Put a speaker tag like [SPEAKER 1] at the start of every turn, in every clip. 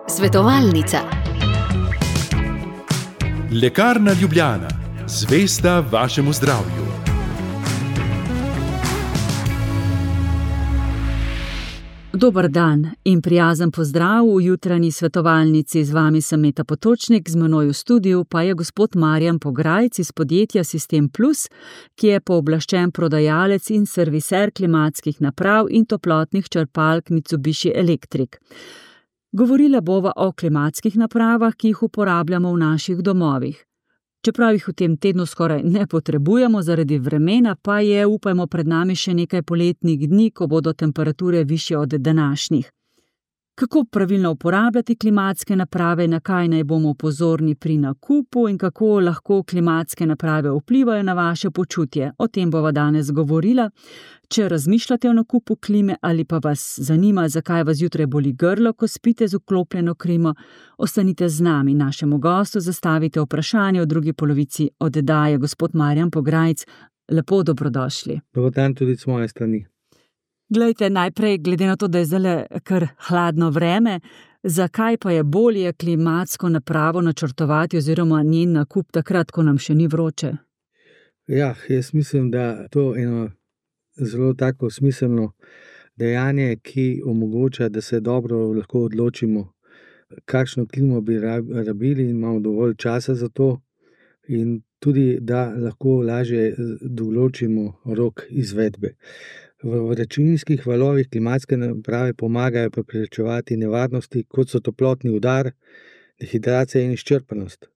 [SPEAKER 1] Svetovalnica.
[SPEAKER 2] Lekarna Ljubljana, zvesta vašemu zdravju.
[SPEAKER 3] Dober dan in prijazen pozdrav v jutranji svetovalnici. Z vami sem Meta Potočnik, z menoj v studiu pa je gospod Marjan Pograjc iz podjetja Sistem Plus, ki je pooblaščen prodajalec in serviser klimatskih naprav in toplotnih črpalk Mitsubishi Electric. Govorila bova o klimatskih napravah, ki jih uporabljamo v naših domovih. Čeprav jih v tem tednu skoraj ne potrebujemo zaradi vremena, pa je, upajmo, pred nami še nekaj poletnih dni, ko bodo temperature višje od današnjih. Kako pravilno uporabljati klimatske naprave, na kaj naj bomo pozorni pri nakupu in kako lahko klimatske naprave vplivajo na vaše počutje? O tem bova danes govorila. Če razmišljate o nakupu klime ali pa vas zanima, zakaj vas zjutraj boli grlo, ko spite z vklopljeno klimo, ostanite z nami, našemu gostu zastavite vprašanje v drugi polovici oddaje. Gospod Marjan Pograjc, lepo dobrodošli.
[SPEAKER 4] Dober dan tudi z moje strani.
[SPEAKER 3] Glejte, najprej, glede na to, da je zdaj kar hladno vreme, zakaj pa je bolje klimatsko napravo načrtovati oziroma njen nakup takrat, ko nam še ni vroče?
[SPEAKER 4] Ja, jaz mislim, da to je eno zelo tako smiselno dejanje, ki omogoča, da se dobro lahko odločimo, kakšno klimo bi rabili in imamo dovolj časa za to, in tudi, da lahko lažje določimo rok izvedbe. V vročinskih valovih klimatske naprave pomagajo preprečevati nevarnosti, kot so toplotni udar, dehidracija in izčrpanost.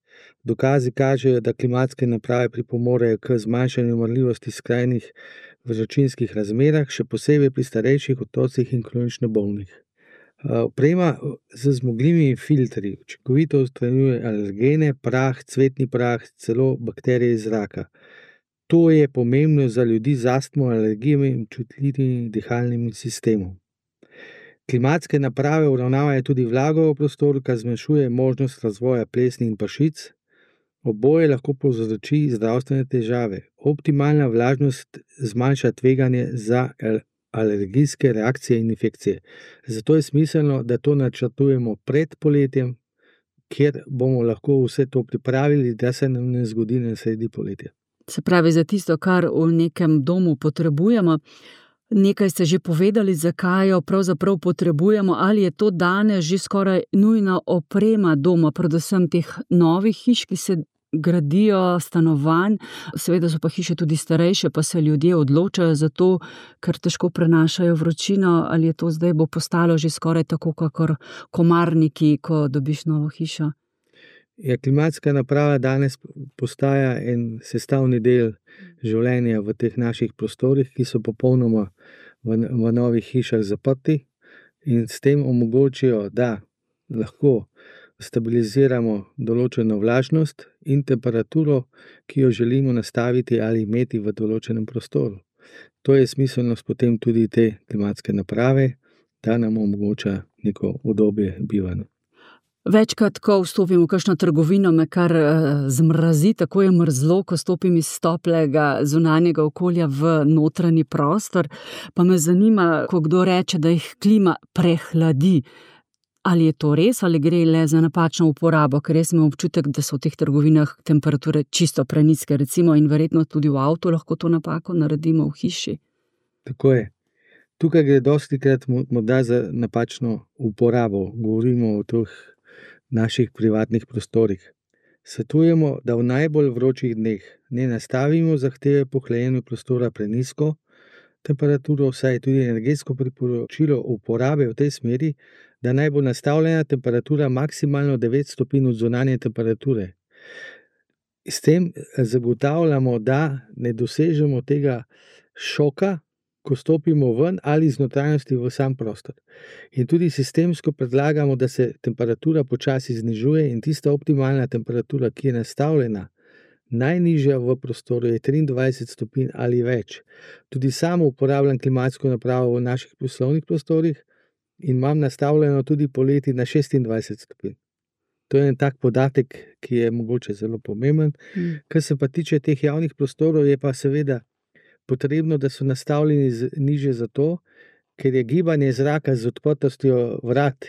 [SPEAKER 4] Dokazi kažejo, da klimatske naprave pripomorejo k zmanjšanju umrljivosti skrajnih vročinskih razmerah, še posebej pri starejših otrocih in kronično bolnih. Oprema z zmogljivimi filtri učinkovito odstranjuje alergene, prah, cvetni prah, celo bakterije iz zraka. To je pomembno za ljudi z astmo, alergijami in občutljivim dihalnim sistemom. Klimatske naprave uravnavajo tudi vlago v prostoru, kar zmanjšuje možnost razvoja plesni in pršic. Oboje lahko povzroči zdravstvene težave. Optimalna vlažnost zmanjša tveganje za alergijske reakcije in infekcije. Zato je smiselno, da to načrtujemo pred poletjem, kjer bomo lahko vse to pripravili, da se nam ne zgodi na sredi poletja.
[SPEAKER 3] Se pravi, za tisto, kar v nekem domu potrebujemo. Nekaj ste že povedali, zakaj jo pravzaprav potrebujemo, ali je to danes že skoraj nujna oprema doma, predvsem teh novih hiš, ki se gradijo, stanovanj. Seveda so pa hiše tudi starejše, pa se ljudje odločajo za to, ker težko prenašajo vročino, ali je to zdaj bo postalo že skoraj tako, kakor komarniki, ko dobiš novo hišo.
[SPEAKER 4] Ja, klimatska naprava danes postaja en sestavni del življenja v teh naših prostorih, ki so popolnoma v novih hišah zaprti in s tem omogočijo, da lahko stabiliziramo določeno vlažnost in temperaturo, ki jo želimo nastaviti ali imeti v določenem prostoru. To je smiselnost potem tudi te klimatske naprave, da nam omogoča neko udobje bivanja.
[SPEAKER 3] Večkrat, ko vstopim v kakšno trgovino, me kar zmrazi, tako je mrzlo, ko stopim iz toplega zunanjega okolja v notranji prostor, pa me zanima, ko kdo reče, da jih klima prehladi. Ali je to res, ali gre le za napačno uporabo, ker jaz imam občutek, da so v teh trgovinah temperature čisto prenizke, recimo, in verjetno tudi v avtu lahko to napako naredimo v hiši.
[SPEAKER 4] Tako je. Tukaj gre dostikrat morda za napačno uporabo, govorimo o teh naših privatnih prostorih. Svetujemo, da v najbolj vročih dneh ne nastavimo zahteve po hlajenju prostora prenizko temperaturo, saj je tudi energetsko priporočilo uporabe v tej smeri, da naj bo nastavljena temperatura maksimalno 9 stopinj od zunanje temperature. S tem zagotavljamo, da ne dosežemo tega šoka, ko stopimo ven ali iz notranjosti v sam prostor. In tudi sistemsko predlagamo, da se temperatura počasi znižuje in tista optimalna temperatura, ki je nastavljena najnižja v prostoru, je 23 stopinj ali več. Tudi sam uporabljam klimatsko napravo v naših poslovnih prostorih in imam nastavljeno tudi poleti na 26 stopinj. To je en tak podatek, ki je mogoče zelo pomemben. Kar se pa tiče teh javnih prostorov, je pa seveda potrebno, da so nastavljeni nižje zato, ker je gibanje zraka z odprtostjo vrat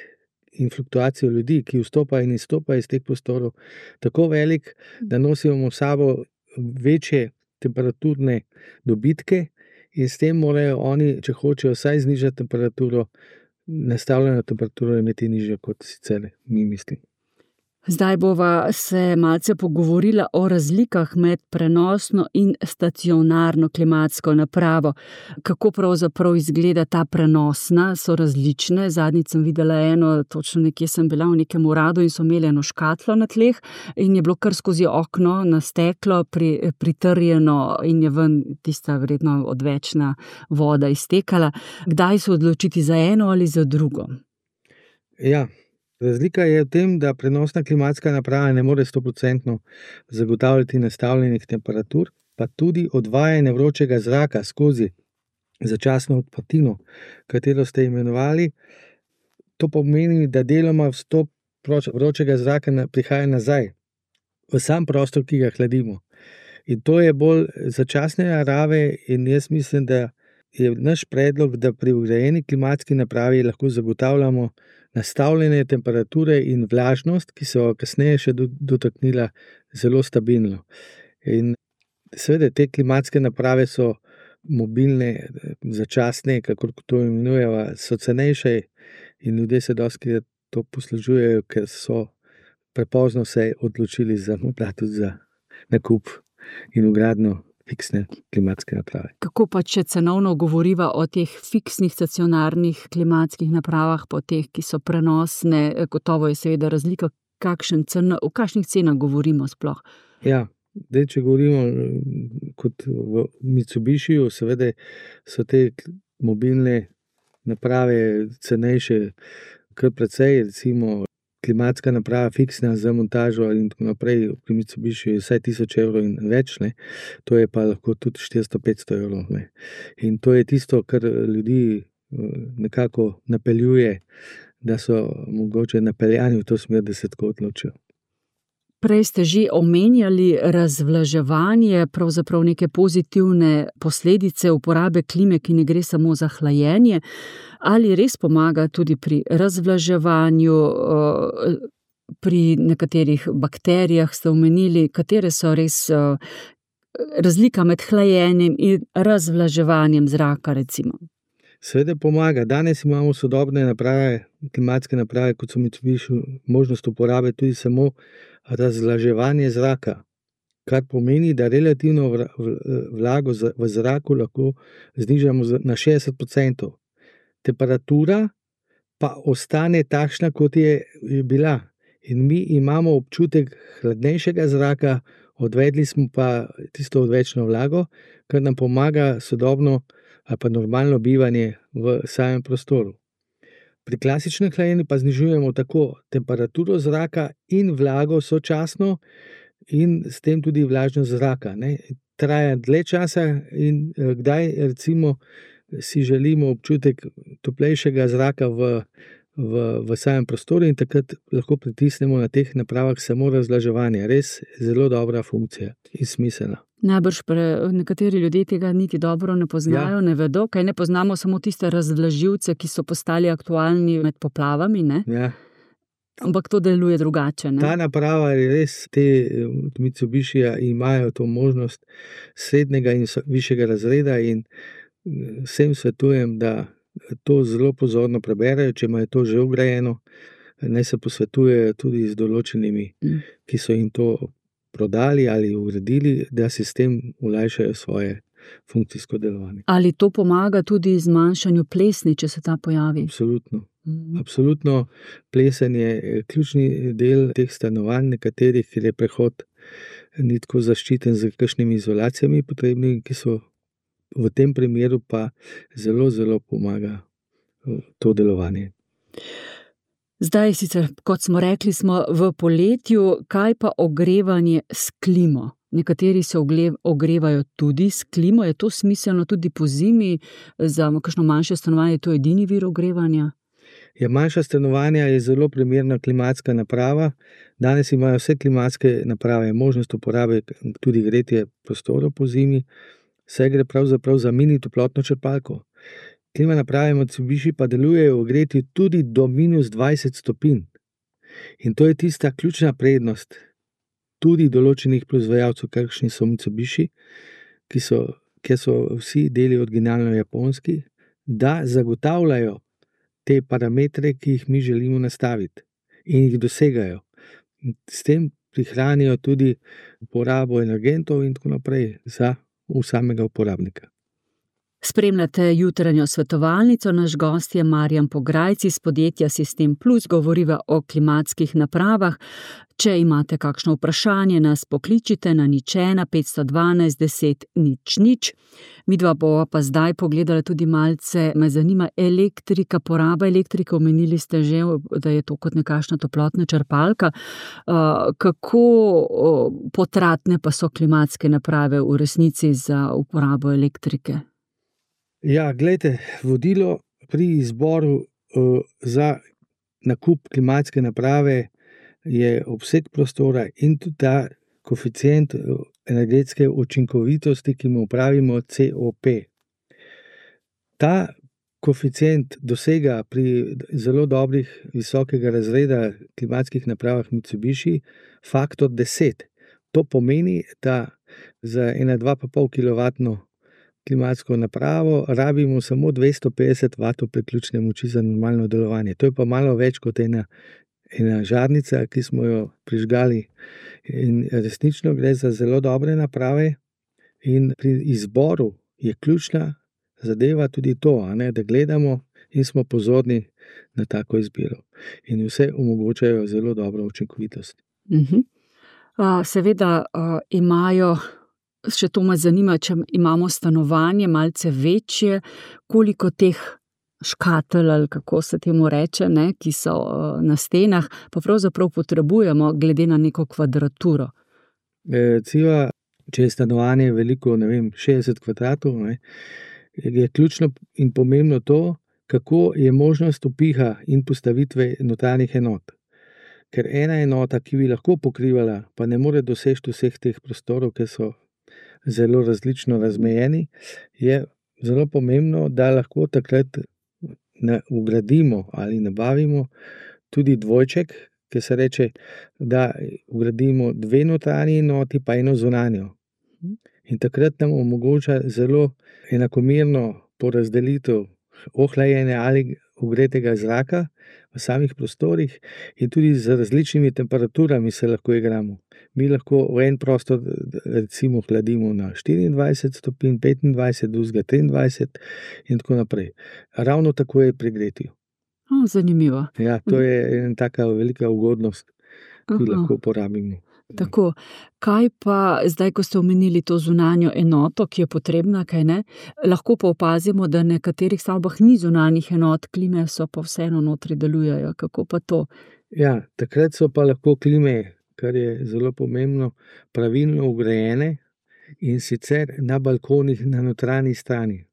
[SPEAKER 4] in fluktuacijo ljudi, ki vstopajo in izstopajo iz teh prostorov, tako velik, da nosimo v sabo večje temperaturne dobitke in s tem morajo oni, če hočejo vsaj znižati temperaturo, nastavljeno temperaturo imeti nižjo kot sicer mi mislimo.
[SPEAKER 3] Zdaj bova se malce pogovorila o razlikah med prenosno in stacionarno klimatsko napravo. Kako pravzaprav izgleda ta prenosna, so različne. Zadnjič sem videla eno, točno nekje sem bila v nekem uradu in so imeli eno škatlo na tleh in je bilo kar skozi okno na steklo pritrjeno in je ven tista verjetno odvečna voda iztekala. Kdaj se odločiti za eno ali za drugo?
[SPEAKER 4] Ja. Razlika je v tem, da prenosna klimatska naprava ne more 100% zagotavljati nastavljenih temperatur, pa tudi odvajanje vročega zraka skozi začasno odprtino, katero ste imenovali. To pomeni, da deloma vstop vročega zraka prihaja nazaj v sam prostor, ki ga hladimo. In to je bolj začasne narave in jaz mislim, da je naš predlog, da pri vgrajeni klimatski napravi lahko zagotavljamo nastavljene temperature in vlažnost, ki so kasneje še dotaknila, zelo stabilno. In seveda te klimatske naprave so mobilne, začasne, kakor to imenujemo, so cenejše in ljudje se dostikrat to poslužujejo, ker so prepozno se odločili za nakup in vgradnjo fiksne klimatske naprave.
[SPEAKER 3] Kako pa, če cenovno govoriva o teh fiksnih stacionarnih klimatskih napravah, po teh, ki so prenosne, gotovo je seveda razlika, o kakšnih cenah govorimo sploh?
[SPEAKER 4] Ja, če govorimo kot v Mitsubishiju, seveda so te mobilne naprave cenejše kar precej, recimo klimatska naprava fiksna za montažo in tako naprej, pri Mitsubishiju je vsaj 1000 evrov in več, to je pa lahko tudi 400-500 evrov. In to je tisto, kar ljudi nekako napeljuje, da so mogoče napeljani v to smer, da se tako odločijo.
[SPEAKER 3] Prej ste že omenjali razvlaževanje, pravzaprav neke pozitivne posledice uporabe klime, ki ne gre samo za hlajenje. Ali res pomaga tudi pri razvlaževanju, pri nekaterih bakterijah ste omenili, katere so res razlika med hlajenjem in razvlaževanjem zraka, recimo?
[SPEAKER 4] Seveda pomaga. Danes imamo sodobne naprave, klimatske naprave, kot so Mitsubishi, možnost uporabe tudi samo razvlaževanje zraka, kar pomeni, da relativno vlago v zraku lahko znižamo na 60%. Temperatura pa ostane takšna, kot je bila. In mi imamo občutek hladnejšega zraka, odvedli smo pa tisto odvečno vlago, kar nam pomaga sodobno ali pa normalno bivanje v samem prostoru. Pri klasičnem hlajenju pa znižujemo tako temperaturo zraka in vlago sočasno in s tem tudi vlažnost zraka. Traja dlje časa in kdaj recimo si želimo občutek toplejšega zraka v samem prostoru in takrat lahko pritisnemo na teh napravah samo razvlaževanje. Res zelo dobra funkcija in smiselna.
[SPEAKER 3] Najbrž nekateri ljudje tega niti dobro ne poznajo, ne vedo, kaj ne poznamo samo tiste razvlažilce, ki so postali aktualni med poplavami, ne?
[SPEAKER 4] Ja.
[SPEAKER 3] Ampak to deluje drugače, ne?
[SPEAKER 4] Ta naprava je res, te Mitsubishija imajo to možnost srednjega in višjega razreda in vsem svetujem, da to zelo pozorno preberejo, če imajo to že vgrajeno, naj se posvetujejo tudi z določenimi, ki so jim to prodali ali ugradili, da si s tem olajšajo svoje funkcijsko delovanje.
[SPEAKER 3] Ali to pomaga tudi zmanjšanju plesni, če se ta pojavi?
[SPEAKER 4] Absolutno. Absolutno, plesen je ključni del teh stanovanj, nekaterih, ker je prehod ni tako zaščiten z kakšnimi izolacijami potrebnimi, ki so v tem primeru pa zelo, zelo pomaga to delovanje.
[SPEAKER 3] Zdaj sicer, kot smo rekli, smo v poletju, kaj pa ogrevanje s klimo? Nekateri se ogrevajo tudi s klimo, je to smiselno tudi po zimi, za kakšno manjše stanovanje je to edini vir ogrevanja?
[SPEAKER 4] Ja, manjša stanovanja je zelo primerna klimatska naprava. Danes imajo vse klimatske naprave možnost uporabe tudi gretje prostorov po zimi. Vse gre pravzaprav za mini toplotno črpalko. klima naprave Mitsubishi pa delujejo ogreti tudi do -20 stopinj. In to je tista ključna prednost tudi določenih proizvajalcev, kakšni so Mitsubishi, kjer so vsi deli originalno japonski, da zagotavljajo te parametre, ki jih mi želimo nastaviti in jih dosegajo. S tem prihranijo tudi porabo energentov in tako naprej za samega uporabnika.
[SPEAKER 3] Spremljate jutranjo svetovalnico, naš gost je Marjan Pograjc iz podjetja Sistem Plus, govoriva o klimatskih napravah. Če imate kakšno vprašanje, nas pokličite na 01 512 10 00. Midva bova pa zdaj pogledala tudi malce, me zanima elektrika, poraba elektrike, omenili ste že, da je to kot nekakšna toplotna črpalka. Kako potratne pa so klimatske naprave v resnici za uporabo elektrike?
[SPEAKER 4] Ja, glejte, vodilo pri izboru za nakup klimatske naprave je obseg prostora in tudi ta koeficient energetske učinkovitosti, ki mu pravimo COP. Ta koeficient dosega pri zelo dobrih visokega razreda klimatskih napravah Mitsubishi faktor 10. To pomeni, da za 2,5 kW klimatsko napravo rabimo samo 250 W priključne moči za normalno delovanje. To je pa malo več kot ena žarnica, ki smo jo prižgali. In resnično gre za zelo dobre naprave in pri izboru je ključna zadeva tudi to, da gledamo in smo pozorni na tako izbiro. In vse omogočajo zelo dobro učinkovitost.
[SPEAKER 3] Seveda imajo, še to me zanima, če imamo stanovanje malce večje, koliko teh škatel, ali kako se temu reče, ki so na stenah, pa pravzaprav potrebujemo glede na neko kvadraturo.
[SPEAKER 4] Recimo, če je stanovanje veliko, 60 kvadratov, je ključno in pomembno to, kako je možnost vpiha in postavitve notranjih enot. Ker ena enota, ki bi lahko pokrivala, pa ne more doseči vseh teh prostorov, ker so zelo različno razmejeni, je zelo pomembno, da lahko takrat vgradimo ali nabavimo tudi dvojček, ki se reče, da vgradimo 2 notranji enoti pa 1 zunanjo. In takrat nam omogoča zelo enakomerno porazdelitev ohlajenja ali ogretega zraka v samih prostorih in tudi z različnimi temperaturami se lahko igramo. Mi lahko v en prostor recimo hladimo na 24 stopinj, 25, drugega 23 in tako naprej. Ravno tako je pri gretju.
[SPEAKER 3] Zanimivo.
[SPEAKER 4] Ja, to je ena taka velika ugodnost, ki lahko uporabimo.
[SPEAKER 3] Tako, kaj pa zdaj, ko ste omenili to zunanjo enoto, ki je potrebna, kaj ne, lahko pa opazimo, da v nekaterih stavbah ni zunanjih enot, klime so pa vseeno notri delujejo, kako pa to?
[SPEAKER 4] Ja, takrat so pa lahko klime, kar je zelo pomembno, pravilno vgrajene in sicer na balkonih na notranji strani.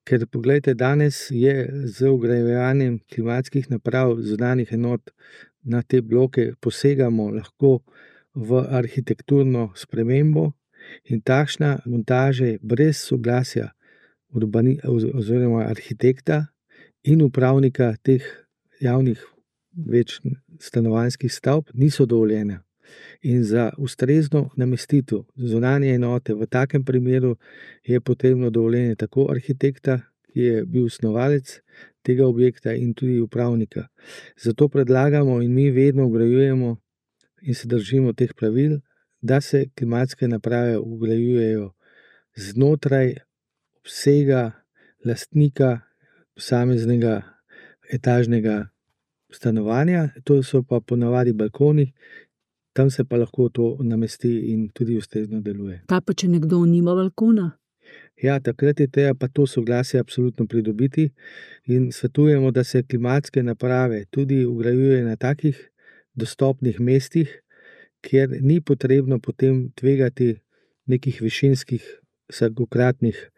[SPEAKER 4] Ker poglejte, danes je z vgrajevanjem klimatskih naprav zunanjih enot na te bloke posegamo lahko v arhitekturno spremembo in takšna montaže brez soglasja oziroma arhitekta in upravnika teh javnih večstanovanjskih stavb niso dovoljene. In za ustrezno namestitev zunanje enote v takem primeru je potrebno dovoljenje tako arhitekta, ki je bil snovalec tega objekta, in tudi upravnika. Zato predlagamo in mi vedno vgrajujemo in se držimo teh pravil, da se klimatske naprave vgrajujejo znotraj obsega lastnika posameznega etažnega stanovanja, to so pa ponavadi balkoni, tam se pa lahko to namesti in tudi ustrezno deluje.
[SPEAKER 3] Kaj pa, če nekdo nima balkona?
[SPEAKER 4] Ja, takrat je treba pa to soglasje absolutno pridobiti in svetujemo, da se klimatske naprave tudi vgrajuje na takih dostopnih mestih, kjer ni potrebno potem tvegati nekih višinskih vsakokratnih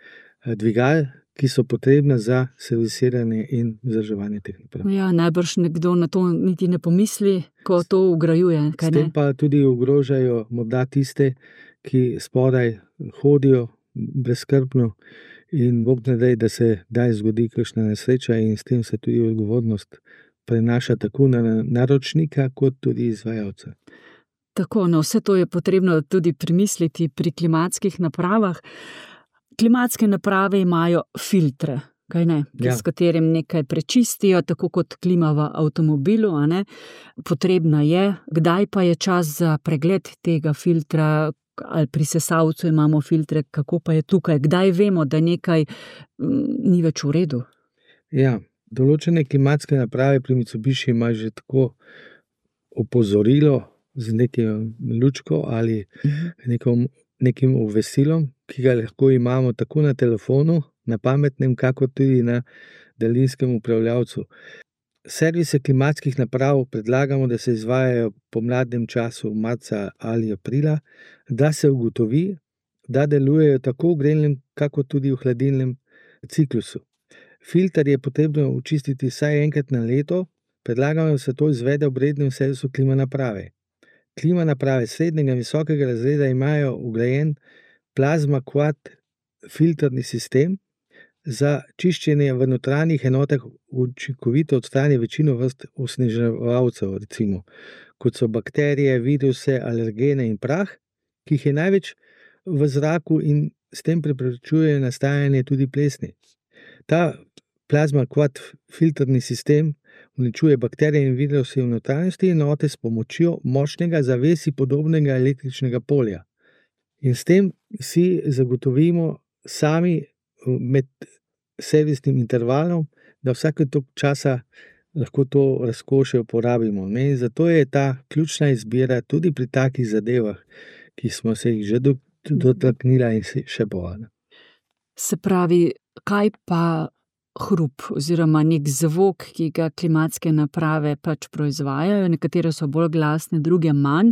[SPEAKER 4] dvigal, ki so potrebna za servisiranje in vzdrževanje teh naprav.
[SPEAKER 3] Ja, najbrž nekdo na to niti ne pomisli, ko to vgrajuje.
[SPEAKER 4] S tem pa tudi ogrožajo morda tiste, ki spodaj hodijo brezskrbno in Bog ne daj, da se kdaj zgodi kakšna nesreča in s tem se tudi odgovornost prenaša tako na naročnika kot tudi izvajalca.
[SPEAKER 3] Tako, no, vse to je potrebno tudi premisliti pri klimatskih napravah. Klimatske naprave imajo filtre, kaj ne, s katerim nekaj prečistijo, tako kot klima v avtomobilu, a ne. Potrebna je, kdaj pa je čas za pregled tega filtra, ali pri sesalcu imamo filtre, kako pa je tukaj, kdaj vemo, da nekaj ni več v redu?
[SPEAKER 4] Ja, določene klimatske naprave pri Mitsubishi ima že tako opozorilo z nekim lučko ali nekim obvestilom, ki ga lahko imamo tako na telefonu, na pametnem, kakor tudi na daljinskem upravljavcu. Servise klimatskih naprav predlagamo, da se izvajajo v pomladnem času, marca ali aprila, da se ugotovi, da delujejo tako v grelnem, kakor tudi v hladilnem ciklusu. Filter je potrebno očistiti vsaj enkrat na leto, predlagamo, da se to izvede ob rednem servisu klima naprave. Klima naprave srednjega in visokega razreda imajo vgrajen Plasma Quad filtrni sistem za čiščenje v notranjih enotah, učinkovito odstrani večino vrst osneževalcev, recimo, kot so bakterije, viruse, alergene in prah, ki jih je največ v zraku in s tem preprečuje nastajanje tudi plesni. Ta Plasma Quad filtrni sistem uničuje bakterije in viruse v notranjosti enote s pomočjo močnega zavesi podobnega električnega polja. In s tem si zagotovimo sami med servisnim intervalom, da vsake toliko časa lahko to razkošje uporabimo. In zato je ta ključna izbira tudi pri takih zadevah, ki smo se jih že dotaknila in še bojo.
[SPEAKER 3] Se pravi, kaj pa hrup oziroma nek zvok, ki ga klimatske naprave pač proizvajajo, nekatere so bolj glasne, druge manj,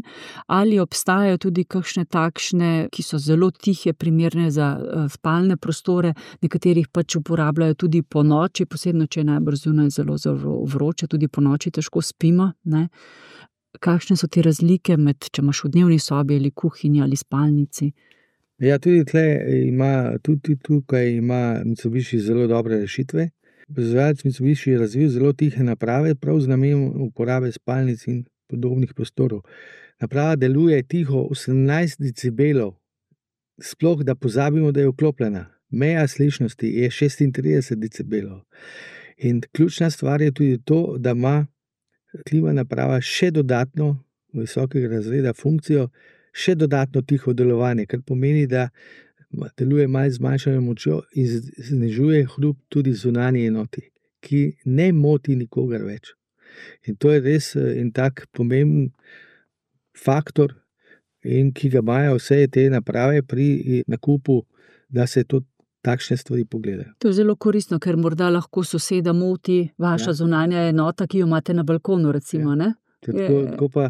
[SPEAKER 3] ali obstajajo tudi kakšne takšne, ki so zelo tihe, primerne za spalne prostore, nekaterih pač uporabljajo tudi po noči, posebno če je najbrž zunaj zelo vroče, tudi po noči težko spimo, ne? Kakšne so te razlike med, če imaš v dnevni sobi ali kuhinji ali spalnici?
[SPEAKER 4] Ja, tudi tukaj ima Mitsubishi zelo dobre rešitve. Proizvajalec Mitsubishi je razvil zelo tihe naprave, prav z namenom uporabe spalnic in podobnih prostorov. Naprava deluje tiho 18 decibelov, sploh da pozabimo, da je vklopljena. Meja slišnosti je 36 decibelov. In ključna stvar je tudi to, da ima klima naprava še dodatno visokega razreda funkcijo, še dodatno tiho delovanje, kar pomeni, da deluje malo zmanjšano močjo in znižuje hrup tudi zunanji enoti, ki ne moti nikogar več. In to je res en tak pomemben faktor, in ki ga imajo vse te naprave pri nakupu, da se to takšne stvari pogledajo.
[SPEAKER 3] To je zelo koristno, ker morda lahko soseda moti vaša zunanja enota, ki jo imate na balkonu, recimo, ne?
[SPEAKER 4] Tako pa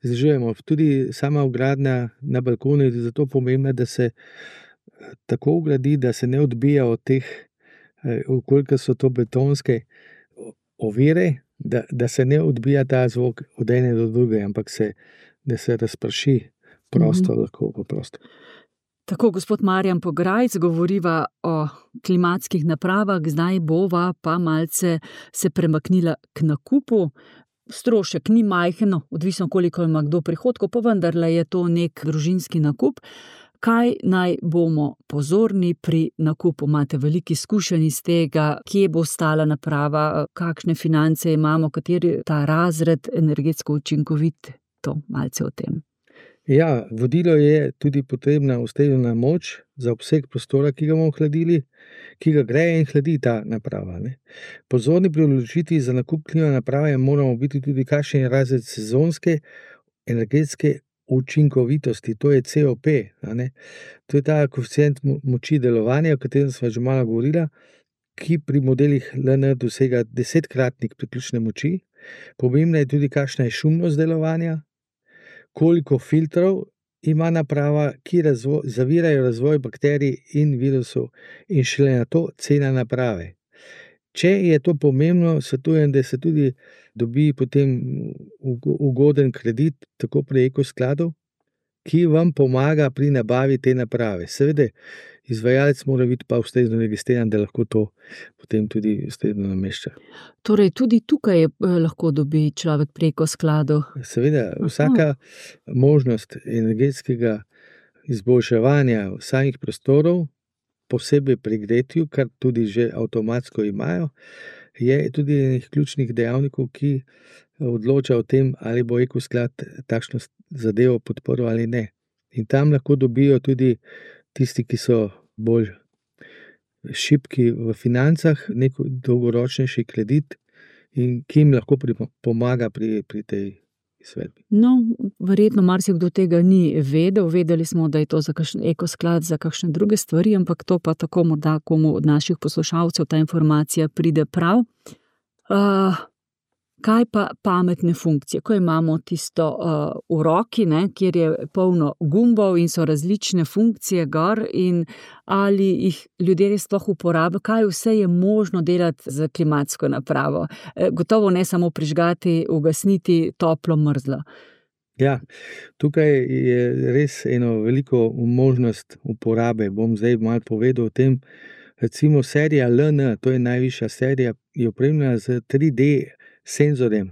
[SPEAKER 4] znižujemo. Tudi sama vgradnja na balkonu je zato pomembna, da se tako vgradi, da se ne odbija od teh, koliko so to betonske ovire, da se ne odbija ta zvok od ene do druge, ampak da se razprši prostor, lahko po prostoru.
[SPEAKER 3] Tako, gospod Marjan Pograjc, govoriva o klimatskih napravah, zdaj bova pa malce se premaknila k nakupu. Strošek ni majhen, odvisno koliko ima kdo prihodkov, pa vendarle je to nek družinski nakup. Kaj naj bomo pozorni pri nakupu? Imate veliko izkušenj iz tega, kje bo stala naprava, kakšne finance imamo, kateri ta razred energetsko učinkovit, to malce o tem.
[SPEAKER 4] Ja, vodilo je tudi potrebna ustrezna moč za obseg prostora, ki ga bomo hladili, ki ga greje in hladi ta naprava, ne. Pozorni pri odločitvi za nakup klima naprave moramo biti tudi, kakšen je razred sezonske energetske učinkovitosti, to je COP, a ne. To je ta koeficient moči delovanja, o katerem sva že malo govorila, ki pri modelih LN dosega 10-kratnik priključne moči. Pomembna je tudi, kakšna je šumnost delovanja, koliko filtrov ima naprava, ki zavirajo razvoj bakterij in virusov, in šele na to cena naprave. Če je to pomembno, svetujem, da se tudi dobi potem ugoden kredit, tako pri Eko skladu, ki vam pomaga pri nabavi te naprave. Seveda, izvajalec mora biti pa ustrezno registriran, da lahko to potem tudi ustrezno namešča.
[SPEAKER 3] Torej, tudi tukaj lahko dobi človek preko skladov.
[SPEAKER 4] Seveda, vsaka možnost energetskega izboljševanja samih prostorov, posebej pri gretju, kar tudi že avtomatsko imajo, je tudi enih ključnih dejavnikov, ki odloča o tem, ali bo ekosklad takšno zadevo podprl ali ne. In tam lahko dobijo tudi tisti, ki so bolj šibki v financah, nek dolgoročnejši kredit in ki jim lahko pomaga pri tej izvedbi.
[SPEAKER 3] No, verjetno marsikdo tega ni vedel. Vedeli smo, da je to za kakšen ekosklad, za kakšne druge stvari, ampak to pa tako morda komu od naših poslušalcev ta informacija pride prav. Kaj pa pametne funkcije? Ko imamo tisto v roki, kjer je polno gumbov in so različne funkcije gor, in ali jih ljudje res sploh uporabljajo, kaj vse je možno delati z klimatsko napravo. Gotovo ne samo prižgati, ugasniti, toplo, mrzlo.
[SPEAKER 4] Ja, tukaj je res eno veliko možnost uporabe. Bom zdaj malo povedal o tem. Recimo serija LN, to je najvišja serija, je opremljena z 3D senzorjem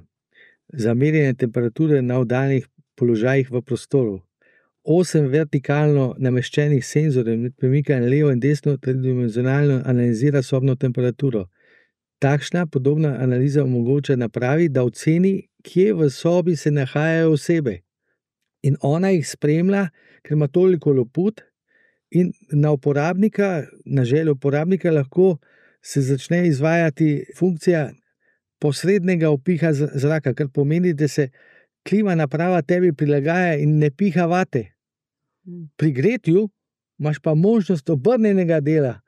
[SPEAKER 4] za merjenje temperature na oddaljenih položajih v prostoru. 8 vertikalno nameščenih senzorjev med premikanjem levo in desno tridimenzionalno analizira sobno temperaturo. Takšna podobna analiza omogoča napravi, da oceni, kje v sobi se nahajajo osebe. In ona jih spremlja, ker ima toliko loput, in na uporabnika, na željo uporabnika lahko se začne izvajati funkcija posrednega vpiha zraka, kar pomeni, da se klima naprava tebi prilagaja in ne piha vate. Pri gretju imaš pa možnost obrnenega dela.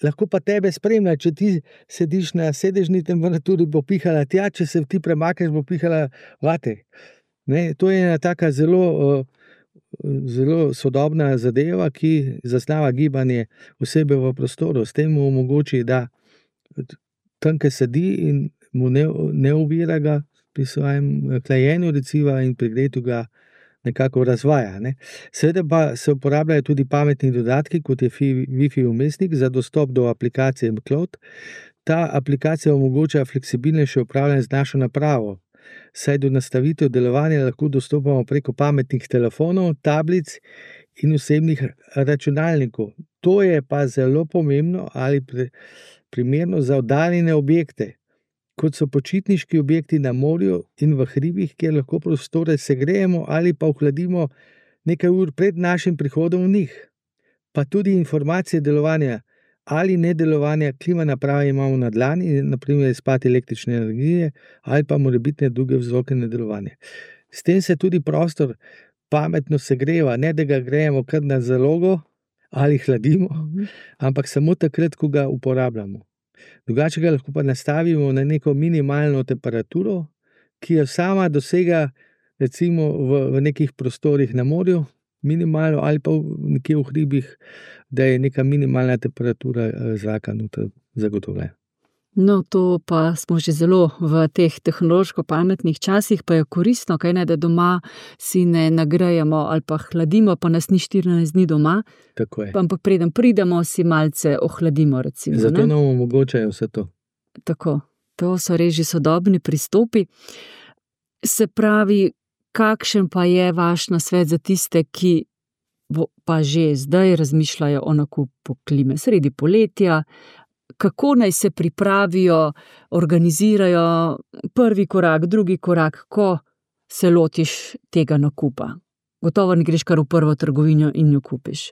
[SPEAKER 4] Lahko pa tebe spremlja, če ti sediš na sedežni temperaturi, bo pihala tja, če se ti premakneš, bo pihala vate. To je ena taka zelo sodobna zadeva, ki zaznava gibanje osebe v prostoru. S tem mu omogoči, da tam, kjer sedi, in mu ne ovira ga pri svojem hlajenju reciva in pri gretju ga nekako razvaja. Seveda pa se uporabljajo tudi pametni dodatki, kot je Wi-Fi vmesnik za dostop do aplikacije Cloud. Ta aplikacija omogoča fleksibilnejše upravljanje z našo napravo, saj do nastavitev delovanja lahko dostopamo preko pametnih telefonov, tablic in osebnih računalnikov. To je pa zelo pomembno ali primerno za oddaljene objekte, kot so počitniški objekti na morju in v hribih, kjer lahko prostore segrejemo ali pa ohladimo nekaj ur pred našim prihodom v njih. Pa tudi informacije delovanja ali nedelovanja klima naprave imamo na dlani, naprimer izpad električne energije ali pa morebitne druge vzroke nedelovanja. S tem se tudi prostor pametno segreva, ne da ga grejemo kar na zalogo ali hladimo, ampak samo takrat, ko ga uporabljamo. Drugače ga lahko pa nastavimo na neko minimalno temperaturo, ki jo sama dosega recimo v nekih prostorih na morju, minimalno, ali pa nekje v hribih, da je neka minimalna temperatura zraka noter zagotovljena.
[SPEAKER 3] No, to pa smo že zelo v teh tehnološko pametnih časih, pa je koristno, da doma si ne nagrejemo ali pa hladimo, pa nas ni 14 dni doma.
[SPEAKER 4] Tako je.
[SPEAKER 3] Ampak preden pridemo, si malce ohladimo, recimo.
[SPEAKER 4] Zato nam omogočajo vse to.
[SPEAKER 3] Tako, to so res že sodobni pristopi. Se pravi, kakšen pa je vaš nasvet za tiste, ki pa že zdaj razmišljajo o nakupu klime sredi poletja? Kako naj se pripravijo, organizirajo prvi korak, drugi korak, ko se lotiš tega nakupa? Gotovo ne greš kar v prvo trgovino in jo kupiš.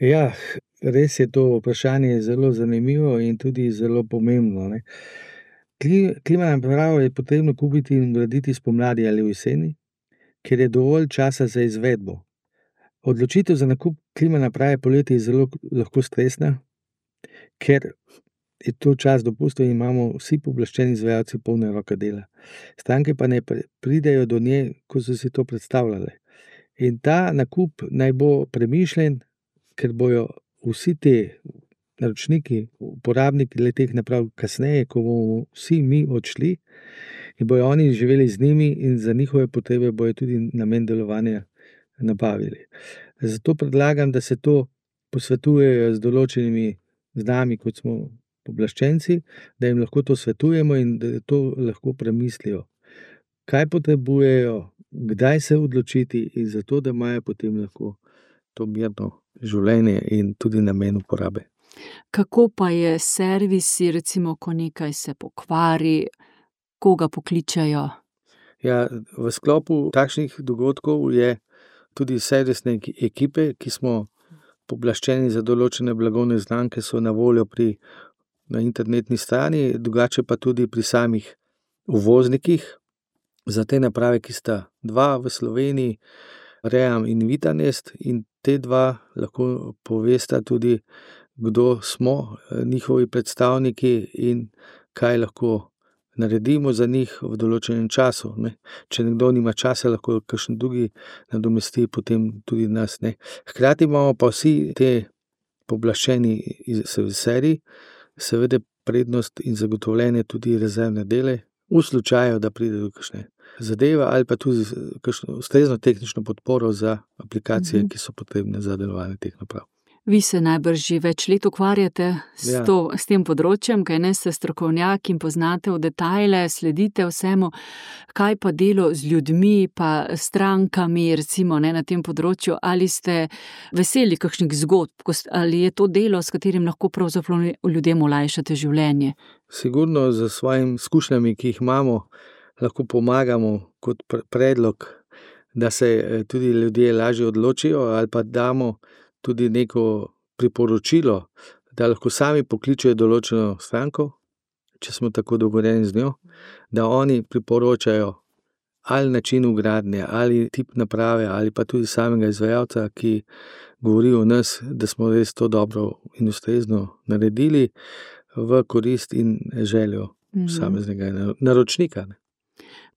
[SPEAKER 4] Ja, res je to vprašanje zelo zanimivo in tudi zelo pomembno. Klima napravo je potrebno kupiti in graditi spomladi ali v jeseni, ker je dovolj časa za izvedbo. Odločitev za nakup klima naprave poleti je zelo lahko stresna, ker je to čas dopustov in imamo vsi pooblaščeni izvajalci polne roke dela. Stranke pa ne pridejo do nje, ko so si to predstavljale. In ta nakup naj bo premišljen, ker bojo vsi te naročniki, uporabniki le-teh naprav kasneje, ko bomo vsi mi odšli in bojo oni živeli z njimi in za njihove potrebe bojo tudi namen delovanja nabavili. Zato predlagam, da se to posvetujejo z določenimi z nami, kot smo pooblaščenci, da jim lahko to svetujemo in da to lahko premislijo. Kaj potrebujejo, kdaj se odločiti in zato, da imajo potem lahko to mirno življenje in tudi namen uporabe.
[SPEAKER 3] Kako pa je s servisi, recimo, ko nekaj se pokvari, koga pokličejo?
[SPEAKER 4] Ja, v sklopu takšnih dogodkov je tudi servisne ekipe, ki smo pooblaščeni za določene blagovne znamke, so na voljo na internetni strani, drugače pa tudi pri samih uvoznikih. Za te naprave, ki sta dva v Sloveniji, Ream in Vitanest, in te dva lahko povesta tudi, kdo smo njihovi predstavniki in kaj lahko naredimo za njih v določenem času. Ne. Če nekdo nima časa, lahko kakšen drugi nadomesti potem tudi nas. Ne. Hkrati imamo pa vsi te pooblaščeni serviserji seveda prednost in zagotovljene tudi rezervne dele, v slučaju, da pride do kakšne zadeve ali pa tudi kakšno ustrezno tehnično podporo za aplikacije, ki so potrebne za delovanje teh naprav.
[SPEAKER 3] Vi se najbrž že več let ukvarjate s tem področjem, kaj ne, ste strokovnjak in poznate v detajle, sledite vsemu. Kaj pa delo z ljudmi, pa strankami, recimo, ne, na tem področju? Ali ste veseli kakšnih zgodb, ali je to delo, s katerim lahko pravzaprav ljudem olajšate življenje?
[SPEAKER 4] Sigurno z svojimi izkušnjami, ki jih imamo, lahko pomagamo kot predlog, da se tudi ljudje lažje odločijo, ali pa damo tudi neko priporočilo, da lahko sami pokličejo določeno stranko, če smo tako dogovorjeni z njo, da oni priporočajo ali način vgradnje, ali tip naprave, ali pa tudi samega izvajalca, ki govori o nas, da smo res to dobro in ustrezno naredili v korist in željo posameznega naročnika.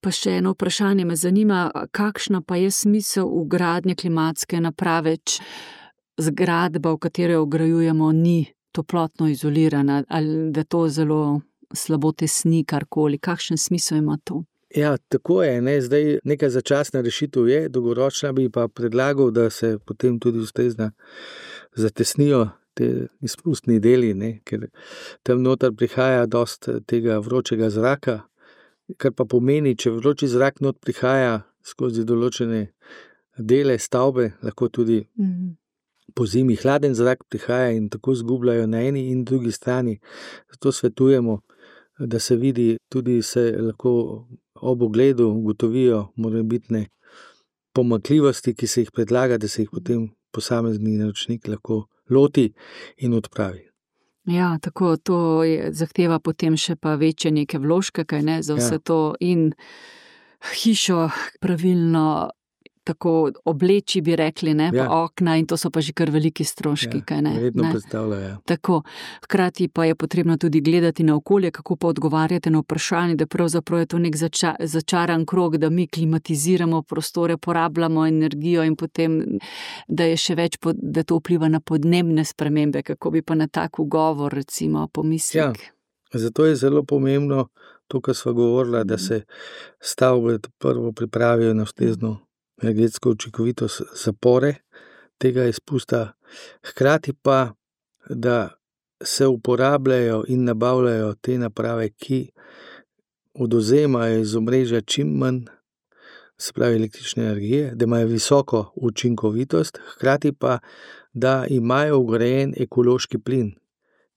[SPEAKER 3] Pa še eno vprašanje me zanima, kakšna pa je smisel vgradnje klimatske naprave, zgradba, v katero jo vgrajujemo, ni toplotno izolirana, ali da to zelo slabo tesni karkoli. Kakšen smisel ima to?
[SPEAKER 4] Ja, tako je, ne? Zdaj neka začasna rešitev je, dolgoročna bi pa predlagal, da se potem tudi ustrezno zatesnijo te izpustni deli, ne? Ker tam noter prihaja dosti tega vročega zraka, kar pa pomeni, če vroči zrak not prihaja skozi določene dele stavbe, lahko tudi po zimi hladen zrak prihaja in tako zgubljajo na eni in drugi strani. Zato svetujemo, da se vidi, tudi se lahko ob ogledu ugotovijo morebitne pomanjkljivosti, ki se jih predlaga, da se jih potem posamezni naročnik lahko loti in odpravi.
[SPEAKER 3] Ja, tako, to zahteva potem še pa večje neke vložke, kaj ne, za vse to in hišo pravilno tako obleči, bi rekli, ne, pa okna, in to so pa že kar veliki stroški, kaj ne.
[SPEAKER 4] Verjetno predstavljajo.
[SPEAKER 3] Tako, hkrati pa je potrebno tudi gledati na okolje, kako pa odgovarjate na vprašanje, da pravzaprav je to nek začaran krog, da mi klimatiziramo prostore, porabljamo energijo in potem, da je še več, da to vpliva na podnebne spremembe, kako bi pa na tak ugovor, recimo, pomislek.
[SPEAKER 4] Ja, zato je zelo pomembno to, kar sva govorila, da se stavbe prvo pripravijo na ustrezno energetsko učinkovitost zapore tega izpusta, hkrati pa, da se uporabljajo in nabavljajo te naprave, ki odvzemajo iz omrežja čim manj, se pravi električne energije, da imajo visoko učinkovitost, hkrati pa, da imajo vgrajen ekološki plin,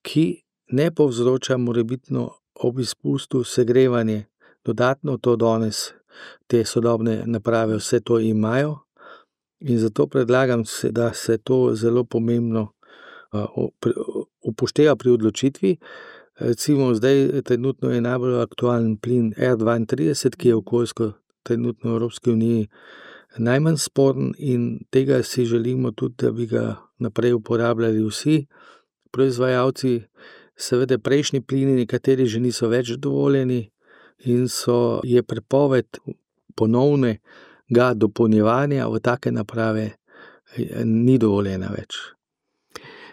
[SPEAKER 4] ki ne povzroča morebitno ob izpustu segrevanje. Dodatno to danes te sodobne naprave vse to imajo in zato predlagam, da se to zelo pomembno upošteva pri odločitvi. Recimo zdaj trenutno je najbolj aktualen plin R32, ki je okoljsko trenutno v Evropski uniji najmanj sporen in tega si želimo tudi, da bi ga naprej uporabljali vsi proizvajalci. Seveda prejšnji plini nekateri že niso več dovoljeni in je prepoved ponovnega dopolnjevanja v take naprave ni dovoljena več.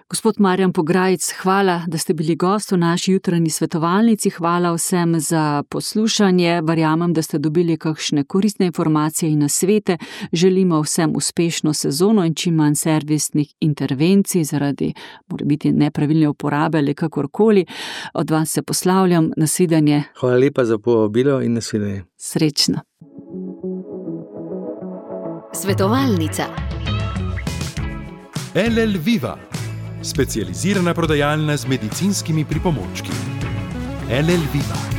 [SPEAKER 3] Gospod Marjan Pograjec, hvala, da ste bili gost v naši jutranji svetovalnici. Hvala vsem za poslušanje. Verjamem, da ste dobili kakšne koristne informacije in nasvete. Želimo vsem uspešno sezono in čim manj servisnih intervencij zaradi morebiti nepravilne uporabe ali kakorkoli. Od vas se poslavljam. Nasvidenje.
[SPEAKER 4] Hvala lepa za povabilo in nasvidenje.
[SPEAKER 3] Srečno.
[SPEAKER 1] Svetovalnica.
[SPEAKER 2] LL Viva, specializirana prodajalna z medicinskimi pripomočki. LL Viva.